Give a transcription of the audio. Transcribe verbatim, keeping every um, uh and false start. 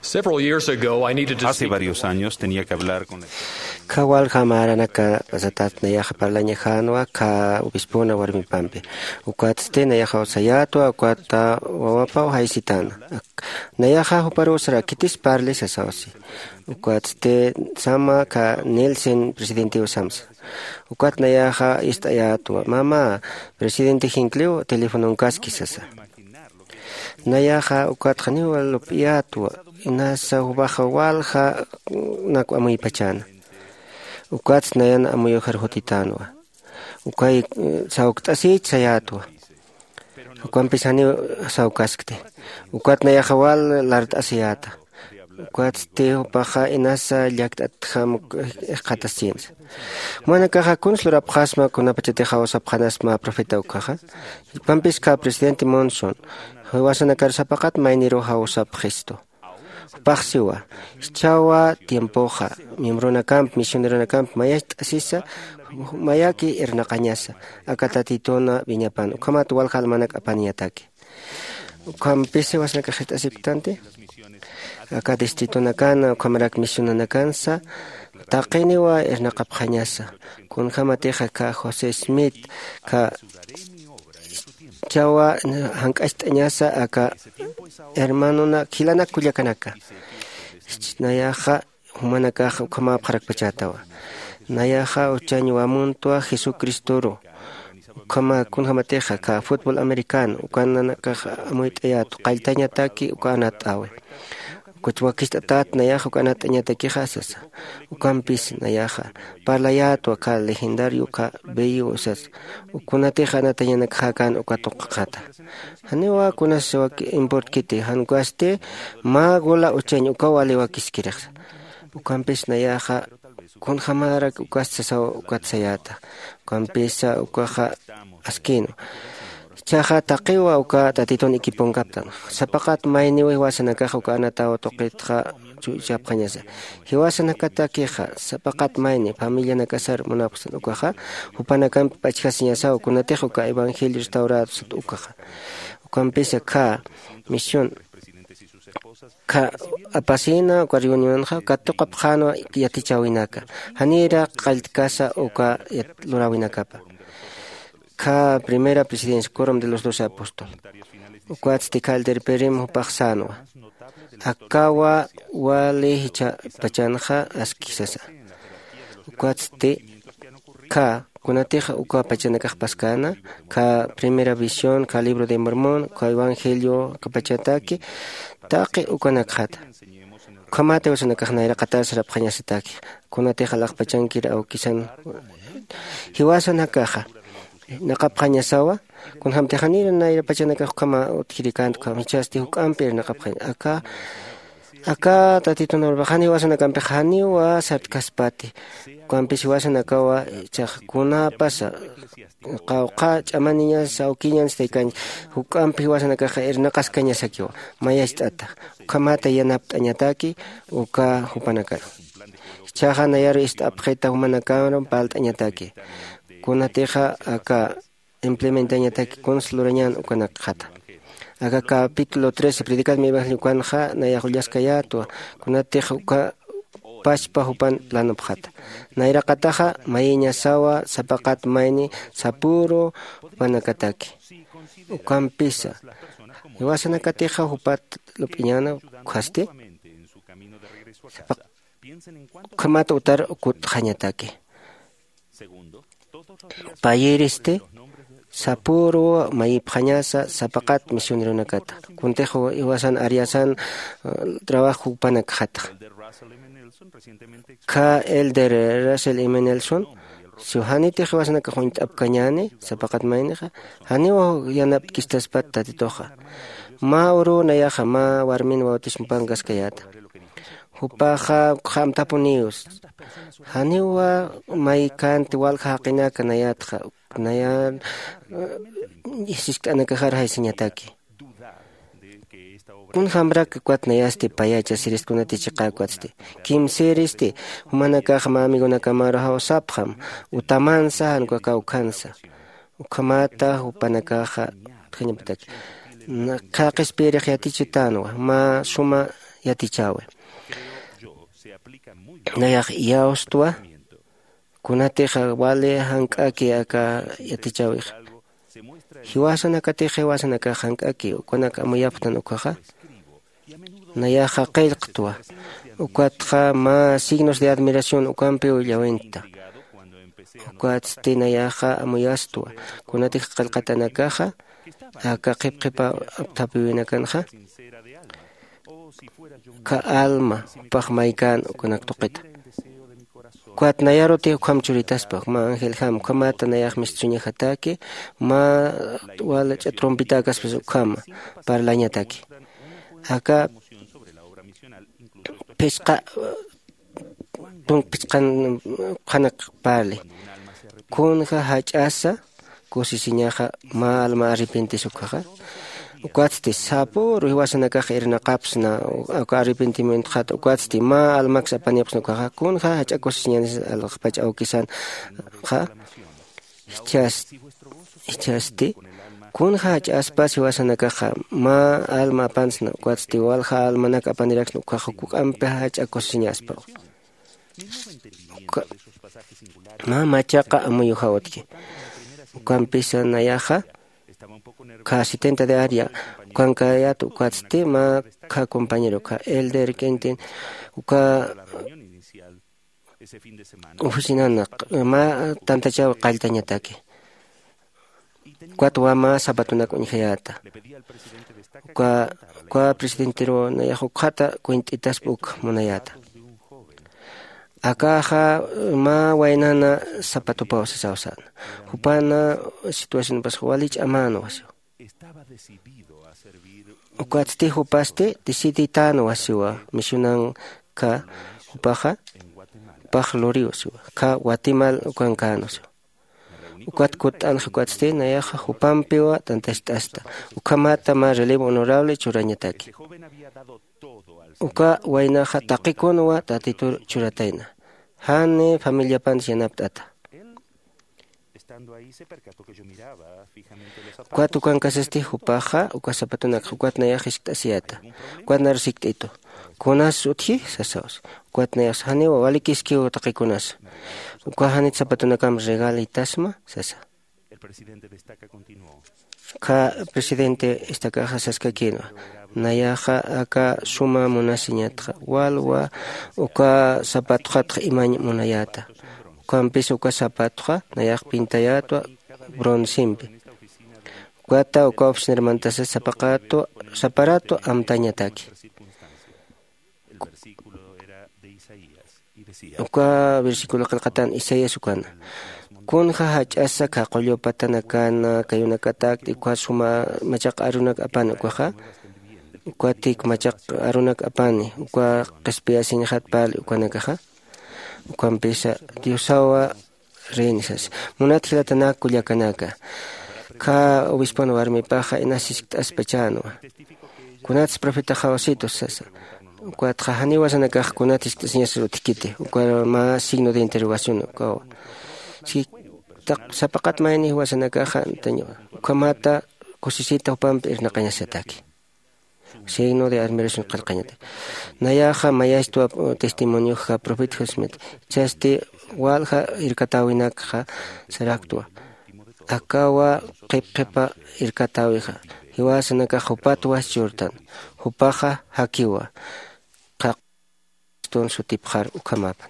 Several years ago, I needed to Hace speak varios años tenía que hablar con la Khä walja märanaka satätnayaxa parlañajänwa khä obispona warmipampi. Ukatsti nayaxaw sayätwa, ukata wawapaw jaysitäna. Nayaxa juparuw sara, khitis parli sasaw si. Ukatsti sama khä Nielsen presidentiw samsa. Ukat nayaxa ist'ayätwa, mama, presidente Hinckley telefononkaski sasa. Nayaxa ukat janiw lup'iyätwa, inasa jupaxa walja nak amuypachäna. Ukatsti nayan amuyujar jutitänwa. Ukay sawkt'asïch sayätwa. Ukampis janiw sawkaskti. Ukat nayaxa wal lart'asiyäta. Ukatsti jupaxa inasa llakt'atjam ixqataschinsa. Jumanakaxa kuns lurapxasma kunapachatix jawsapxanasma profeta ukaxa. Jupampis khä presidente Monson jiwasanakar sapaqat mayniruw jawsapxistu. Jupax siwa, jichhawa tiempoxa miembronakamp misioneronakamp mayacht'asisa, mayaki irnaqañasa aka Tatituna wiñapan ukhamat walja almanak apaniñataki. Ukhampis jiwasanakax jist'asipktanti aka distritonakana ukhamarak misionanakansa taqiniwa irnaqapxañasa. Kunjämatixa khä José Smith khä chawa jank'acht'añasa aka hermanonak jilanak kullakanaka. Nayaxa jumanakax ukhamäpxarakpachätawa. Nayaxa uchañ wamuntwa Jesucristoru. Ukhama kunjämatixa khä fútbol americano ukananakax amuyt'ayätwa qalltañataki uka anatt'äwi. Kuch wakicht'atät nayaxa uka anatt'añatakixa sasa. Ukampis nayaxa parlayätwa khä legendario khä bello sasa. Kunatix anatañanakxäkän uka tuqxata. Janiwa kunas importkiti jan ukasti mä gola uchañ ukaw wali wakiskirixsa. Ukampis nayaxa kunjämarak ukas sasaw ukat sayäta. Ukampisa ukaxa askïnwa. Jichhaxa taqiwa uka Tatitun equiponkaptan. Sapaqat mayniw jiwasanakax uka anataw tuqitxa chuychapxañasa. Jiwasanakatakixa sapaqat mayni familianakasar munapxsan ukaxa jupanakampi p'achjasiñasaw kunatix uka evangelio restaurado sat ukaxa. Ukampisa khä misión khä apasïna uka reunionxa katuqapxänwa yatichäwinaka janïra qalltkasa uka luräwinakapa. Khä primera presidencia corom de los doce apóstol. Ukatsti khä elder perim jupax sänwa akawa wali jichhapachanxa aski sasa. Ukatsti khä kunatix uka pachanakax paskäna khä primera visión khä libro de mormón khä evangelio khä pachataki taqi ukanakxata. Ukhamat jiwasanakax nayraqatar sarapxañasataki kunatix alaxpachankir awkisan jiwasanakaxa naqapxañasawa. Kunjämtix janïra nayrapachanakax ukhama utjirikänti ukham jichhasti juk'ampi irnaqapxañ aka aka Tatitun urbax jan jiwasanakampix janiwa sartkaspati. Ukampis jiwasanakawa jichhax kunapasa qawqha ch'amaniñas awkiñans taykañ juk'ampi jiwasanakaxa irnaqaskañasakiwa. Mayacht'ata ukhamata yanapt'añataki uka jupanakaru. Jichhaxa nayaru ist'apxita jumanakaru parlt'añataki kunatixa aka implementañataki kuns lurañän ukanakxata. Aka capítulo trece predicad mi evangelio ukanxa nayax ullaskayätwa kunatix uka pachpa jupan planopxata. Nayraqataxa mayiñasawa sapaqat mayni sapüru jupanakataki. Ukampisa jiwasanakatixa jupat lup'iñäna ukhasti ukhamat utar kutxañataki. Payïristi sapüru mayipxañasa sapaqat misioneronakata kuntix jiwasan ariasan trabajo jupanakxatxa. Khä elder Russell M Nelson siw janitix jiwasanakax uñt'apkañäni sapaqat maynixa janiw yanapt'kistaspat Tatituxa. Mä uruw nayaxa mä warmin bautismupankaskayäta. Jupaxa ukxamtapuniw janiwa maykänti walja jaqinaka nayatxa naya siskt'anakaxar jaysiñataki. Kunjämrak ukat nayasti payacha sirist kunati chiqä ukatsti kimsïristi jumanakax mä amigonakamaru jawsapxam utamansa jan uka kawkhansa. Ukhamata jupanakaxa utjañapataki khä qhispiyirix yatichitänwa mä suma yatichäwi. Nayax iyawstwa kunatixa wali jank'aki aka yatichäwixa. Jiwasanakatix jiwasanakax jank'aki ukanak amuyapxtan ukhaxa. Nayaxa qillqtwa. Ukatxa mä signos de admiración ukampiw llawinta. Ukatsti nayaxa amuyastwa kunatix qillqatanakaxa aka qhipqhipa apthapiwinakanxa. Ka alma jupax maykän ukanak tuqita. Ukat nayaruti ukham churitaspa mä angeljam ukhamata nayax mistsuñajataki mä walch'a trompitäkaspas ukhama parlañataki. Aka phisqa tunka phisqan qhanak parli kunja jach'asa kusisiñaxa mä alma arrepentis ukhaxa. Ukatsti sapüru jiwasanakax irnaqapsna aka arrepentimientoxata ukatsti mä almaks apanipxsna ukhaxa kunja jach'a kusisiñanis alxpach awkisanxa. Jichhasti jichhasti kunja jach'aspas jiwasanakaxa mä alma apansna ukatsti walja almanak apaniraksna ukhaxa juk'ampi jach'a kusisiñaspa. Mä machaqa amuyujaw utji ukampisa nayaxa kha setenta de área ukankayat ukatsti mä kha compañero kha elder quintin uka oficinana mä tantachaw qalltañataki. Ukat wama sapatunak uñjayäta uka uka presidenteruw nayax ukhata cuent'itaspa uk munayäta. Akaxa mä waynana sapatupaw sasaw säna. Jupana situacionpas wali ch'amänwa siw. Ukatsti jupasti deciditänwa siwa misionanka jupaxa jupax luriw siwa kha watimal ukankänwa siwa. Ukat kutt'anxa ukatsti nayaxa jupampiwa tantacht'asta ukhamata mä relevo honorable churañataki. Uka waynaxa taqikunwa tatitur churatayna jani familiapantis yanapt'ata. Ukat ukankasasti jupaxa uka sapatunakxa ukat nayax jiskt'asiyäta. Ukat naru sikt'itu kunas utji sasaws. Ukat nayax janiwa walikiskiw taqikunasa uka janit sapatunakam regalitasma sasa. Kha presidente istakaxa saskakïnwa nayaxa aka suma munasiñatxa walwa uka sapatuxatxa imañ munayäta. Ukampisa uka sapatuxa nayax pintayätwa broncempi. Ukata uka oficinarmantasa sapaqatu saparatu amtañataki. Uka versículo qillqatan isaías ukana kunja jach'asa kha qullu patanakana kayunakatakti uka suma machaq arunak apani ukaxa. Ukatik machaq arunak apani uka qhispiyasiñxat parli ukanakaxa. Ukampisa diosawa reyni sasa. Munat jilatanak kullakanaka kha obispon warmipaxa inas jiskt'aspachänwa. Kunatsa profetaxaw situs sasa. Ukatxa janiw wasanakax kunat jiskt'asiñasar utjkiti uka mä signo de interrogación ukawa. Sapaqat mayni jiwasanakaxa antañwa ukhamata kusisita jupampi irnaqañasataki. Signo de admiración qillqañataki. Nayaxa mayastwa testimonioxa profeta josmit jichhasti walja irkatäwinakxa saraktwa. Akawa qhipqhipa irkatäwixa jiwasanakax jupatwa churtan. Jupaxa jakiwa qhaq sutipxar ukhamapan.